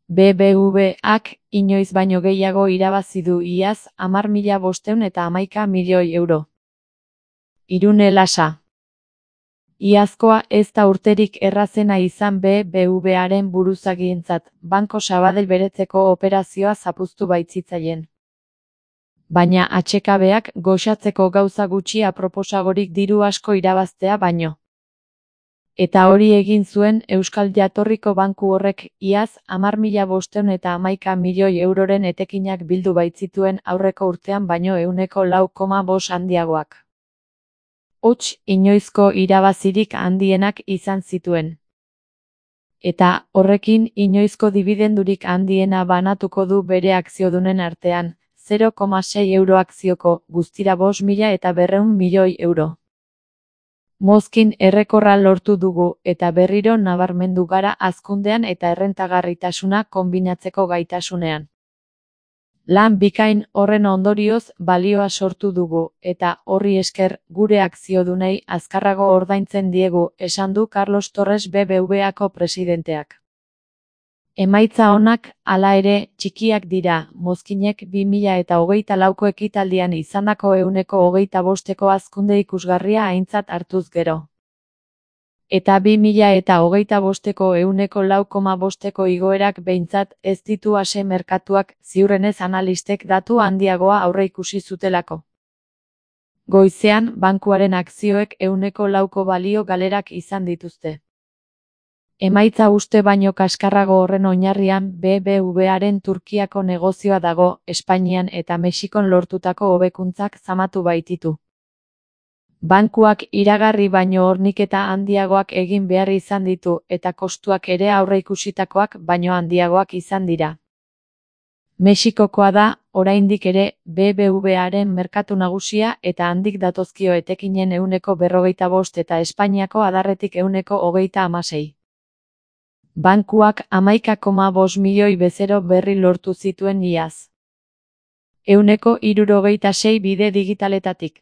BBVak inoiz baino gehiago irabazi du iaz 10.511 euro. Irune Lasa. Iazkoa ez da urterik errazena izan BBVaren buruzagientzat, Banco Sabadell beretzeko operazioa zapuztu baitzitzaien. Baina atsekabeak goxatzeko gauza gutxi aproposagorik diru asko irabaztea baino. Eta hori egin zuen Euskal Jatorriko banku horrek iaz 10.511 euroren etekinak bildu baitzituen aurreko urtean baino 4,5% handiagoak. Hots, inoizko irabazirik handienak izan zituen. Eta horrekin inoizko dibidendurik handiena banatuko du bere akziodunen artean, 0,6 euro akzioko, guztira 5.200 milioi euro. Mozkin errekorra lortu dugu eta berriro nabarmendu gara hazkundean eta errentagarritasuna konbinatzeko gaitasunean. Lan bikain horren ondorioz balioa sortu dugu eta horri esker gure akziodunei azkarrago ordaintzen diegu, esan du Carlos Torres BBVako presidenteak. Emaitza onak, hala ere, txikiak dira, mozkinek 2024ko ekitaldian izandako 25%ko hazkunde ikusgarria aintzat hartuz gero. Eta 2025ko 4,5%ko igoerak behintzat ez ditu ase merkatuak, ziurrenez analistek datu handiagoa aurreikusi zutelako. Goizean, bankuaren akzioek 4ko balio galerak izan dituzte. Emaitza uste baino kaskarrago horren oinarrian BBVaren Turkiako negozioa dago, Espainian eta Mexikon lortutako hobekuntzak zamatu baititu. Bankuak iragarri baino horniketa handiagoak egin behar izan ditu eta kostuak ere aurreikusitakoak baino handiagoak izan dira. Mexikokoa da, oraindik ere, BBVaren merkatu nagusia eta handik datozkio etekinen 45% eta Espainiako adarretik 36%. Bankuak 11,5 milioi bezero berri lortu zituen iaz. 166 bide digitaletatik.